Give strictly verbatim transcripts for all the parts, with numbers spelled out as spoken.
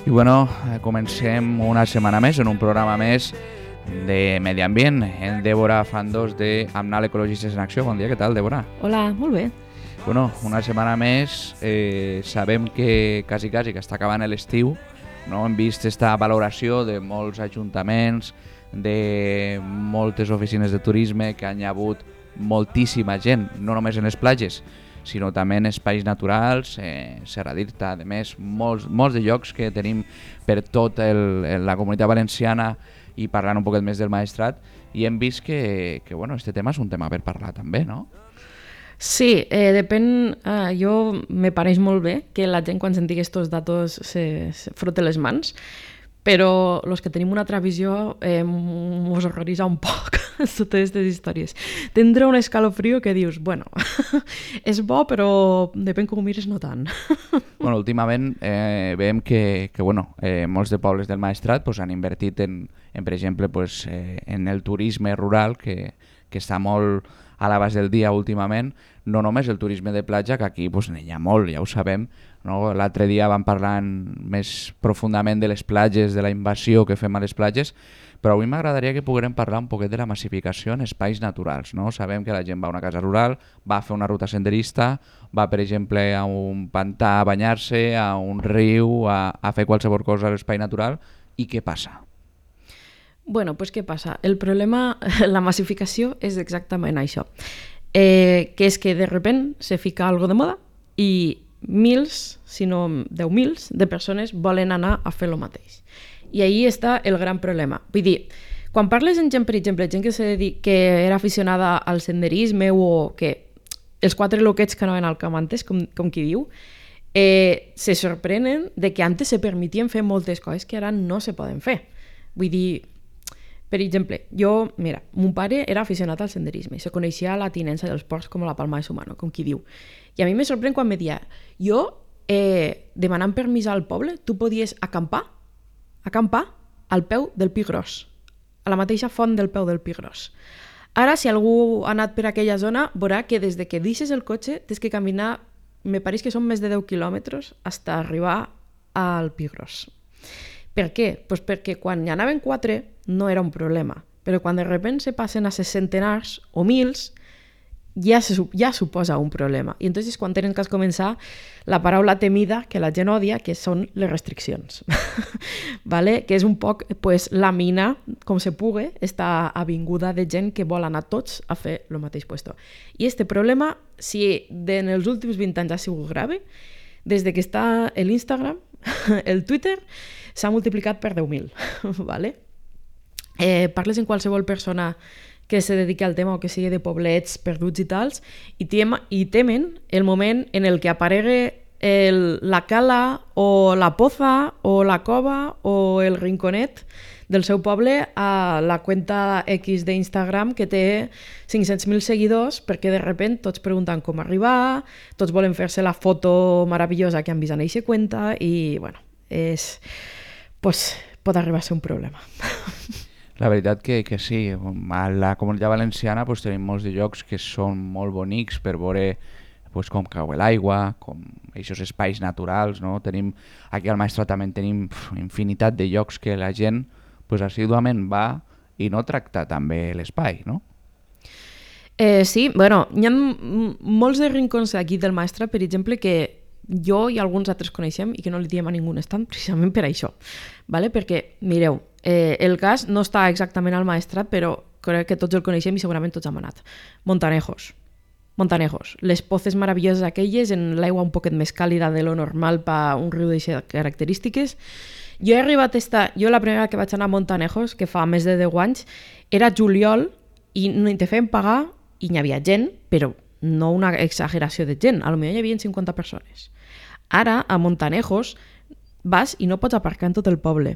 I bueno, comencem una setmana més en un programa més de Medi Ambient en Débora Fandos de Amnal Ecologistes en Acció. Bon dia, què tal, Débora? Hola, molt bé. Bueno, una setmana més, eh, sabem que quasi, quasi que està acabant l'estiu, no? Hem vist esta valoració de molts ajuntaments, de moltes oficines de turisme que han hagut moltíssima gent, no només en les platges, sinó també en espais naturals, eh, Serra d'Irta, a més, molts, molts de llocs que tenim per tot el, la comunitat valenciana i parlant un poquet més del Maestrat, i hem vist que, que bueno, este tema és un tema per parlar també, no? Sí, eh, depèn, eh, jo me pareix molt bé que la gent quan senti aquests datos se, se frote les mans, però els que tenim una altra visió eh, mos horroritza un poc totes aquestes històries. Tindrà un escalofrio que dius, bueno, és bo, però depèn com ho mires, no tant. Bueno, últimament eh, veiem que, que bueno, eh, molts de pobles del Maestrat pues, han invertit en, en per exemple, pues, eh, en el turisme rural, que, que està molt a l'abast del dia últimament, no només el turisme de platja, que aquí pues, n'hi ha molt, ja ho sabem, no? L'altre dia vam parlar més profundament de les platges, de la invasió que fem a les platges, però avui m'agradaria que poguérem parlar un poquet de la massificació en espais naturals, no? Sabem que la gent va a una casa rural, va a fer una ruta senderista, va, per exemple, a un pantà a banyar-se, a un riu, a, a fer qualsevol cosa a l'espai natural, i què passa? Bueno, pues què passa? El problema, la massificació és exactament això, eh, que és que de repent se fica algo de moda i mils, si no deu mils, de persones volen anar a fer el mateix. I ahí està el gran problema. Vull dir, quan parles amb gent, per exemple, gent que, se dedica, que era aficionada al senderisme o que els quatre loquets que anaven al camp antes, com, com qui diu, eh, se sorprenen de que antes se permetien fer moltes coses que ara no se poden fer. Vull dir, per exemple, jo, mira, mon pare era aficionat al senderisme, se coneixia la tinença dels ports com la palma de su mano, com qui diu. I a mi me sorprèn quan me dia, jo, eh, demanant permís al poble, tu podies acampar, acampar al peu del Pi Gros, a la mateixa font del peu del Pi Gros. Ara, si algú ha anat per aquella zona, veurà que des de que deixes el cotxe tens que caminar, me pareix que són més de deu quilòmetres fins a arribar al Pi Gros. Per què? Pues perquè quan hi anaven quatre no era un problema, però quan de repente se passen a ses centenars o mils, ja, se, ja suposa un problema. I entonces quan tenen que començar la paraula temida que la gent odia, que són les restriccions. ¿Vale? Que és un poc pues, la mina, com se pugui, esta avinguda de gent que vol anar tots a fer el mateix puesto. I este problema, si en els últims vint anys ha sigut grave, des de que està l'Instagram, el Twitter, s'ha multiplicat per deu mil. ¿Vale? Eh, parles amb qualsevol persona que se dediqui al tema o que sigui de poblets perduts i tals, i, tema, i temen el moment en el que aparegue el, la cala o la poza o la cova o el rinconet del seu poble a la cuenta X d'Instagram que té cinc-cents mil seguidors, perquè de repente tots pregunten com arribar, tots volen fer-se la foto meravellosa que han vist en eixa cuenta i, bueno, és... pues, pot arribar a ser un problema. La veritat que, que sí, a la comunitat valenciana pues, tenim molts de llocs que són molt bonics per veure pues, com cau l'aigua, com aquests espais naturals, no? Tenim, aquí al Maestrat també tenim pf, infinitat de llocs que la gent pues, assíduament va i no tracta també l'espai, no? Eh, sí, bueno, hi ha molts de rincons aquí del Maestrat, per exemple, que jo i alguns altres coneixem i que no li diem a ningú estan precisament per això, ¿vale? Perquè, mireu, eh, el cas no està exactament al Maestrat, però crec que tots el coneixem i segurament tots hem anat. Montanejos, Montanejos, les pozes meravelloses aquelles en l'aigua un poquet més càlida de lo normal per un riu d'aquestes característiques. Jo he arribat a estar, jo la primera que vaig anar a Montanejos, que fa més de deu anys, era juliol i no te feien pagar i hi havia gent, però no una exageració de gent, a lo millor hi havia cinquanta persones. Ara, a Montanejos, vas i no pots aparcar en tot el poble.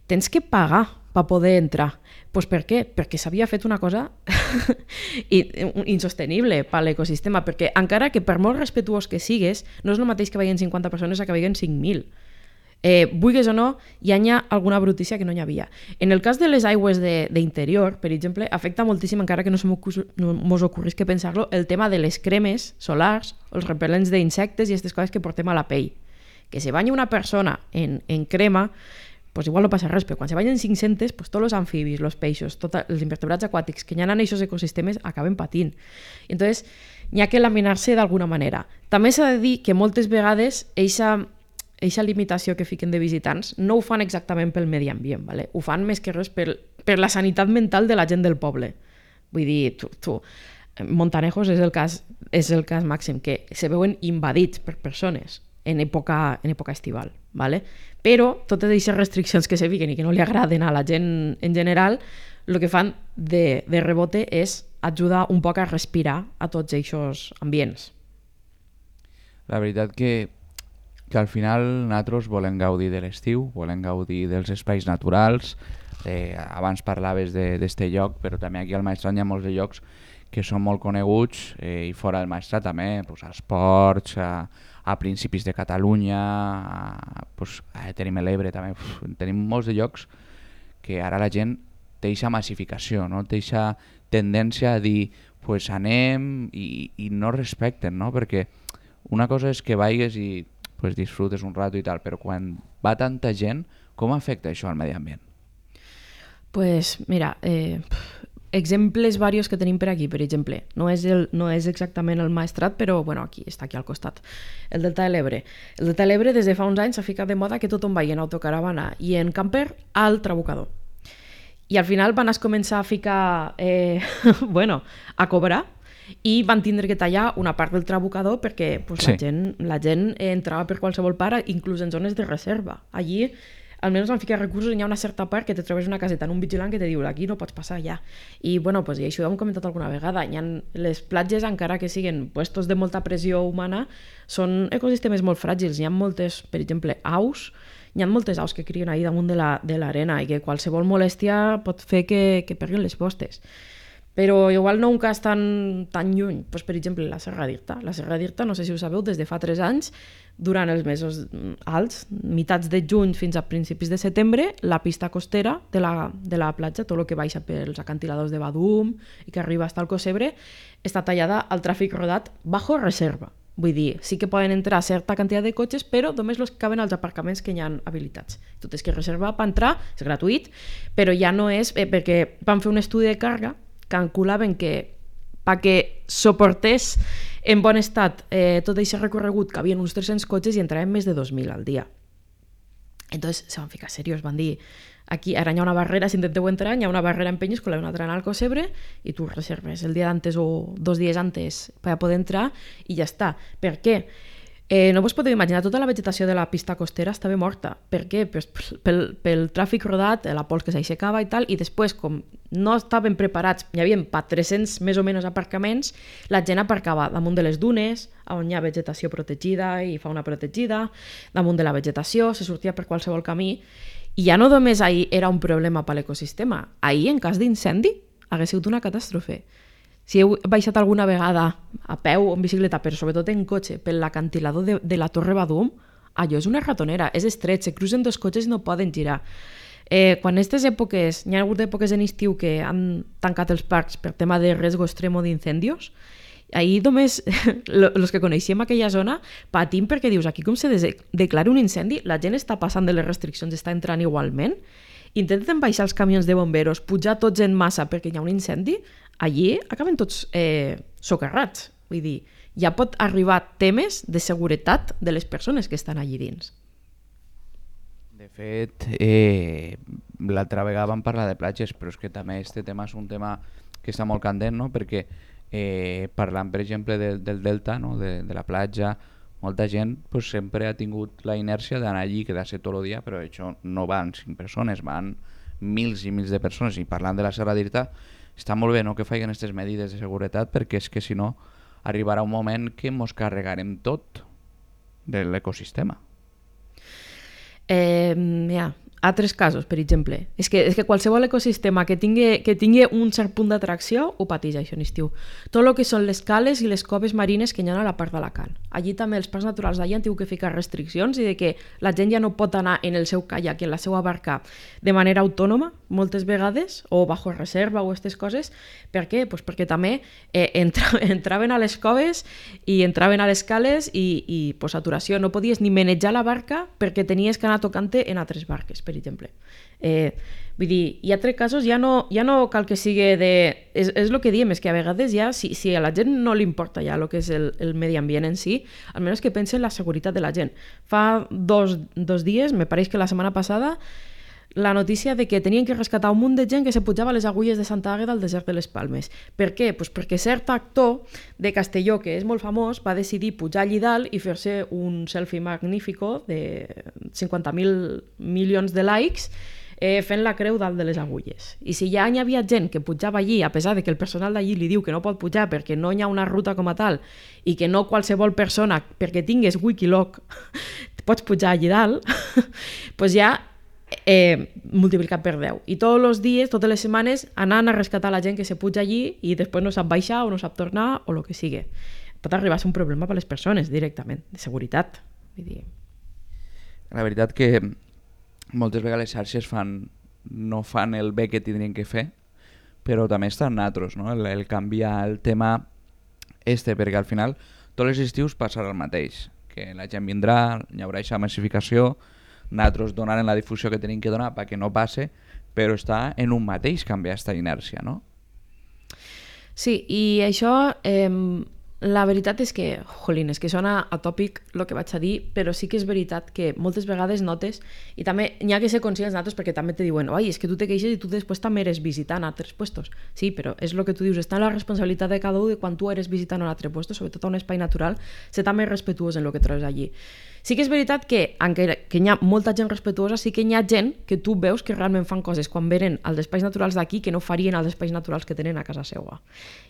Tens que pagar per poder entrar. Pues per què? Perquè s'havia fet una cosa insostenible per l'ecosistema, perquè encara que per molt respetuós que sigues, no és el mateix que vagin cinquanta persones a que vagin cinc mil. Eh, vulguis o no, hi ha alguna brutícia que no hi havia. En el cas de les aigües d'interior, per exemple, afecta moltíssim, encara que no se mos ocorrís que pensar-lo, el tema de les cremes solars, els repel·lents d'insectes i aquestes coses que portem a la pell, que se banya una persona en, en crema, pues igual no passa res, però quan se banyen cinc-centes, pues tots els amfibis, els peixos, tots els invertebrats aquàtics que hi ha en aquests ecosistemes acaben patint. I entonces, n'hi ha que laminar-se d'alguna manera. També s'ha de dir que moltes vegades eixa Eixa limitació que fiquen de visitants no ho fan exactament pel medi ambient, ¿vale? Ho fan més que res per, per la sanitat mental de la gent del poble. Vull dir, tu, tu, Montanejos és el cas, és el cas màxim, que se veuen invadits per persones en època, en època estival, ¿vale? Però totes aquestes restriccions que se fiquen i que no li agraden a la gent en general, el que fan de, de rebote és ajudar un poc a respirar a tots aquests ambients. La veritat que que al final nosaltres volem gaudir de l'estiu, volem gaudir dels espais naturals. Eh, abans parlaves d'aquest lloc, però també aquí al Maestrat hi ha molts de llocs que són molt coneguts, eh, i fora del Maestrat també, pues, als ports, a, a principis de Catalunya, a, pues, a tenim l'Ebre també, uf, tenim molts de llocs que ara la gent té aquesta massificació, no? Té aquesta tendència a dir pues anem i, i no respecten, no? Perquè una cosa és que vagis i pues disfrutes un rato i tal, però quan va tanta gent, com afecta això al medi ambient? Pues mira, eh, exemples varios que tenim per aquí, per exemple, no és, el, no és exactament el Maestrat, però bueno, aquí està aquí al costat, el Delta de l'Ebre. El Delta de l'Ebre des de fa uns anys s'ha ficat de moda que tothom vagi en autocaravana i en camper al Trabucador. I al final van es començar a ficar, eh, bueno, a cobrar, i van tindre que tallar una part del Trabucador perquè pues, sí. la, gent, la gent entrava per qualsevol part, inclús en zones de reserva. Allí almenys van ficar recursos i hi ha una certa part que te trobes una caseta en un vigilant que te diu aquí no pots passar ja. I, bueno, pues, i això ho hem comentat alguna vegada. Hi ha les platges, encara que siguin puestos de molta pressió humana, són ecosistemes molt fràgils. Hi ha moltes, per exemple, aus, hi ha moltes aus que crien ahí damunt de l'arena la, i que qualsevol molèstia pot fer que, que perdin les postes. Però igual no un cas tan, tan lluny, pues, per exemple la Serra d'Irta. La Serra d'Irta, no sé si ho sabeu, des de fa tres anys, durant els mesos alts, mitats de juny fins a principis de setembre, la pista costera de la, de la platja, tot el que baixa pels acantiladors de Badum i que arriba fins al Cosebre, està tallada al tràfic rodat bajo reserva. Vull dir, sí que poden entrar certa quantitat de cotxes, però només els que caben als aparcaments que hi ha habilitats. Tot és que reserva per entrar, és gratuït, però ja no és, eh, perquè van fer un estudi de càrrega, calculaven que perquè suportés en bon estat eh, tot aquest recorregut que havien uns tres-cents cotxes i entraven més de dos mil al dia. Entonces se van ficar serios, van dir aquí ara hi ha una barrera, si intenteu entrar hi ha una barrera en Penyíscola i una altra en el Cosebre i tu reserves el dia d'antes o dos dies antes per poder entrar i ja està. Per què? Eh, no vos podeu imaginar, tota la vegetació de la pista costera estava morta. Per què? Pues pel, pel tràfic rodat, la pols que s'aixecava i tal, i després, com no estaven preparats, hi havia pa tres-cents més o menys aparcaments, la gent aparcava damunt de les dunes, on hi ha vegetació protegida i fauna protegida, damunt de la vegetació, se sortia per qualsevol camí, i ja no només ahir era un problema per l'ecosistema, ahir, en cas d'incendi, hagués sigut una catàstrofe. Si heu baixat alguna vegada a peu o en bicicleta, però sobretot en cotxe, per l'acantilador de, de la Torre Badum, allò és una ratonera, és estret, se cruzen dos cotxes i no poden girar. Eh, quan aquestes èpoques, hi ha hagut èpoques en estiu que han tancat els parcs per tema de riesgo extremo d'incendios, ahir només els que coneixíem aquella zona patim perquè dius, aquí com se declara un incendi, la gent està passant de les restriccions, està entrant igualment, intenten baixar els camions de bomberos, pujar tots en massa perquè hi ha un incendi, allí acaben tots eh, socarrats. Vull dir, ja pot arribar temes de seguretat de les persones que estan allí dins. De fet, eh, l'altra vegada vam parlar de platges, però és que també este tema és un tema que està molt candent, no? Perquè eh, parlant, per exemple, de, del delta, no? de, de la platja, molta gent pues, sempre ha tingut la inèrcia d'anar allí i quedar-se tot el dia, però això no van cinc persones, van mils i mils de persones. I parlant de la Serra d'Irta, està molt bé, no?, que facin aquestes medides de seguretat, perquè és que si no arribarà un moment que ens carregarem tot de l'ecosistema. Eh, ja, altres casos, per exemple, és que, és que qualsevol ecosistema que tingui, que tingui un cert punt d'atracció ho pateix això en estiu. Tot el que són les cales i les coves marines que hi ha a la part d'Alacant. Allí també els parcs naturals d'allà han tingut que ficar restriccions i de que la gent ja no pot anar en el seu caiac i en la seva barca de manera autònoma, moltes vegades, o bajo reserva o aquestes coses. Per què? Pues perquè també eh, entra, entraven a les coves i entraven a les cales i, i pues, saturació. No podies ni manejar la barca perquè tenies que anar tocant-te en altres barques, per exemple. Eh, vull dir, hi ha altres casos, ja no, ja no cal que sigui de... És, és el que diem, és que a vegades ja, si, si a la gent no li importa ja el que és el, el medi ambient en si, almenys que pense en la seguretat de la gent. Fa dos, dos dies, me pareix que la setmana passada, la notícia de que tenien que rescatar un munt de gent que se pujava a les agulles de Santa Àgueda al desert de les Palmes. Per què? Pues perquè cert actor de Castelló, que és molt famós, va decidir pujar allí dalt i fer-se un selfie magnífico de cinquanta mil milions de likes eh, fent la creu dalt de les agulles. I si ja hi havia gent que pujava allí, a pesar de que el personal d'allí li diu que no pot pujar perquè no hi ha una ruta com a tal i que no qualsevol persona, perquè tingues Wikiloc, pots pujar allí dalt, pues ja Eh, multiplicat per deu. I tots els dies, totes les setmanes, anant a rescatar la gent que se puja allí i després no sap baixar o no sap tornar o el que sigui. Pot arribar a ser un problema per a les persones directament, de seguretat. Vull dir... La veritat que moltes vegades les xarxes fan, no fan el bé que tindrien que fer, però també estan natros, no? el, el canviar el tema este, perquè al final tots els estius passarà el mateix, que la gent vindrà, hi haurà aquesta massificació, nosaltres donaren la difusió que tenim que donar perquè no passe, però està en un mateix canviar aquesta inèrcia, no? Sí, i això, eh, la veritat és que, jolín, és que sona atòpic el que vaig a dir, però sí que és veritat que moltes vegades notes, i també n'hi ha que ser conscients nosaltres perquè també te diuen, oi, és que tu te queixes i tu després també eres visitant a altres puestos. Sí, però és el que tu dius, està en la responsabilitat de cada un de quan tu eres visitant a un altre puesto, sobretot a un espai natural, ser també respetuós en el que trobes allí. Sí que és veritat que, encara que hi ha molta gent respetuosa, sí que hi ha gent que tu veus que realment fan coses quan venen als espais naturals d'aquí que no farien als espais naturals que tenen a casa seva.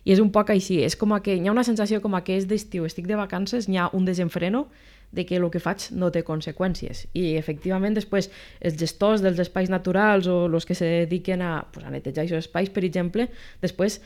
I és un poc així, és com que hi ha una sensació com que és d'estiu, estic de vacances, hi ha un desenfreno de que el que faig no té conseqüències. I efectivament després els gestors dels espais naturals o els que se dediquen a, pues, a netejar aquests espais, per exemple, després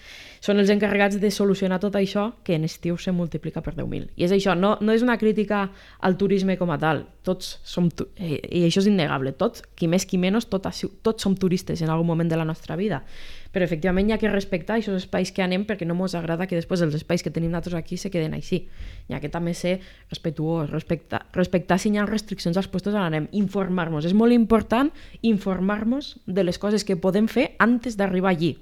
són els encarregats de solucionar tot això que en estiu se multiplica per deu mil. I és això, no, no és una crítica al turisme com a tal, tots som, eh, i això és innegable, tots, qui més qui menys, tots, tots som turistes en algun moment de la nostra vida. Però efectivament hi ha que respectar aquests espais que anem perquè no ens agrada que després els espais que tenim nosaltres aquí se queden així. Hi ha que també ser respetuós, respectar, respectar si hi ha restriccions als puestos on anem, informar-nos. És molt important informar-nos de les coses que podem fer antes d'arribar allí.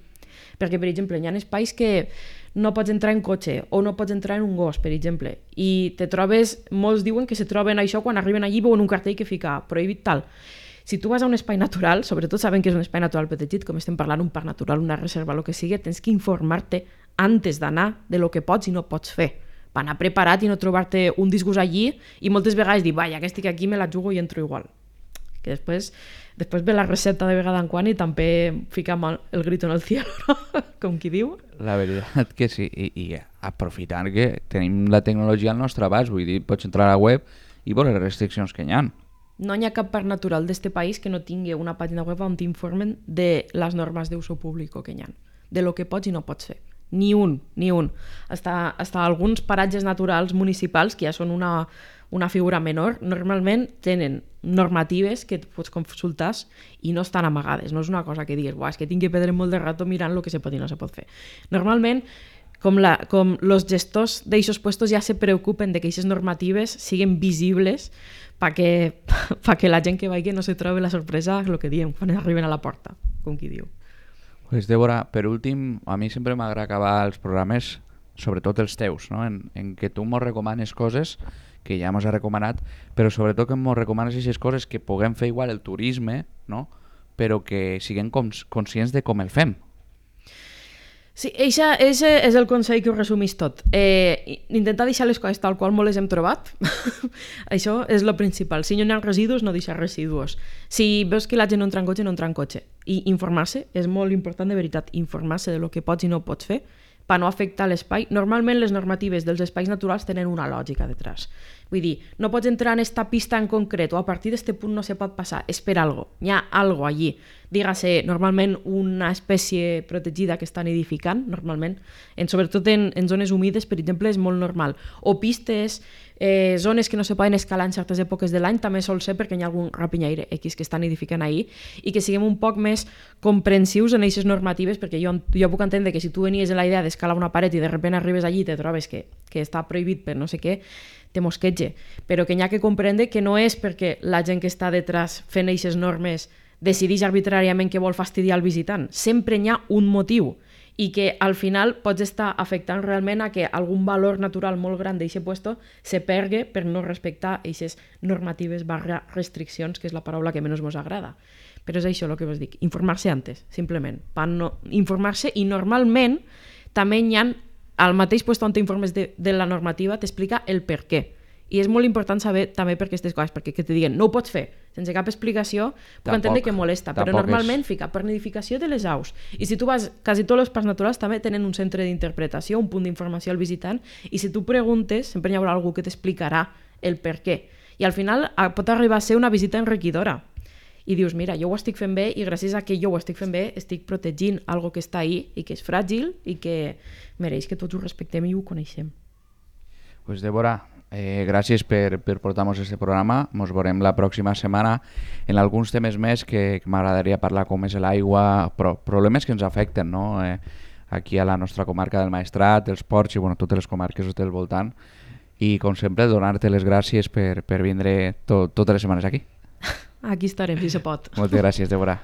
Perquè, per exemple, hi ha espais que no pots entrar en cotxe o no pots entrar en un gos, per exemple, i te trobes, molts diuen que se troben això quan arriben allí veuen un cartell que fica prohibit tal. Si tu vas a un espai natural, sobretot sabent que és un espai natural protegit, com estem parlant, un parc natural, una reserva, el que sigui, tens que informar-te antes d'anar de lo que pots i no pots fer. Per anar preparat i no trobar-te un disgust allí i moltes vegades dir, vaja, que estic aquí, me la jugo i entro igual. Que després, després ve la recepta de vegada en quan i també fica el grito en el cielo, no? Com qui diu. La veritat que sí, i, i aprofitant que tenim la tecnologia al nostre abast, vull dir, pots entrar a la web i veure les restriccions que hi ha. No hi ha cap parc natural d'este país que no tingui una pàgina web on t'informen de les normes d'uso públic que hi ha, de lo que pots i no pots fer. Ni un, ni un. Hasta, hasta alguns paratges naturals municipals, que ja són una, una figura menor, normalment tenen normatives que pots consultar i no estan amagades. No és una cosa que digues, és que tinc que perdre molt de rato mirant el que se pot i no se pot fer. Normalment, com, la, com los gestors d'aixos puestos ja se preocupen de que aquestes normatives siguin visibles perquè, perquè la gent que vagi no se trobi la sorpresa, el que diem, quan arriben a la porta, com qui diu. Pues Débora, per últim, a mi sempre m'agrada acabar els programes, sobretot els teus, no? en, en què tu mos recomanes coses que ja mos has recomanat, però sobretot que mos recomanes aquestes coses que puguem fer igual el turisme, no? Però que siguem cons- conscients de com el fem. Sí, eixa, eixe és el consell que ho resumís tot. Eh, intentar deixar les coses tal qual molt les hem trobat. Això és el principal. Si no hi ha residus, no deixar residus. Si veus que la gent no entra en cotxe, no entra en cotxe. I informar-se, és molt important de veritat, informar-se de lo que pots i no pots fer per no afectar l'espai. Normalment les normatives dels espais naturals tenen una lògica detrás. Vull dir, no pots entrar en esta pista en concret o a partir d'este punt no se pot passar. És per algo. Hi ha algo allí. Dígase, normalment una espècie protegida que està nidificant, normalment, en, sobretot en, en zones humides, per exemple, és molt normal. O pistes, eh, zones que no se poden escalar en certes èpoques de l'any, també sol ser perquè hi ha algun rapinyaire X que està nidificant ahí, i que siguem un poc més comprensius en aquestes normatives, perquè jo, jo puc entendre que si tu venies en la idea d'escalar una paret i de sobte arribes allí i te trobes que, que està prohibit per no sé què, te mosquetge, però que n'hi ha que comprendre que no és perquè la gent que està detrás fent aquestes normes decideix arbitràriament que vol fastidiar el visitant. Sempre n'hi ha un motiu i que al final pots estar afectant realment a que algun valor natural molt gran d'aquest puesto se pergue per no respectar aquestes normatives barra restriccions, que és la paraula que menys ens agrada. Però és això el que vos dic, informar-se antes, simplement. No, informar-se i normalment també n'hi ha al mateix lloc on t'informes de, de la normativa t'explica el per què. I és molt important saber també per aquestes coses, perquè que te diguen no ho pots fer, sense cap explicació, puc tampoc, entendre que molesta, però normalment és... fica per nidificació de les aus. I si tu vas, quasi tots els parcs naturals també tenen un centre d'interpretació, un punt d'informació al visitant, i si tu preguntes, sempre hi haurà algú que t'explicarà el per què. I al final pot arribar a ser una visita enriquidora. I dius, mira, jo ho estic fent bé i gràcies a que jo ho estic fent bé estic protegint algo que està ahí i que és fràgil i que mereix que tots ho respectem i ho coneixem. Pues Débora, eh, gràcies per, per portar-nos aquest programa. Ens veurem la pròxima setmana en alguns temes més que, que m'agradaria parlar, com és l'aigua, però problemes que ens afecten, no? Eh, aquí a la nostra comarca del Maestrat, els ports i bueno, totes les comarques del voltant. I com sempre, donar-te les gràcies per, per vindre to, totes les setmanes aquí. Aquí estarem, si se pot. Moltes gràcies, Débora.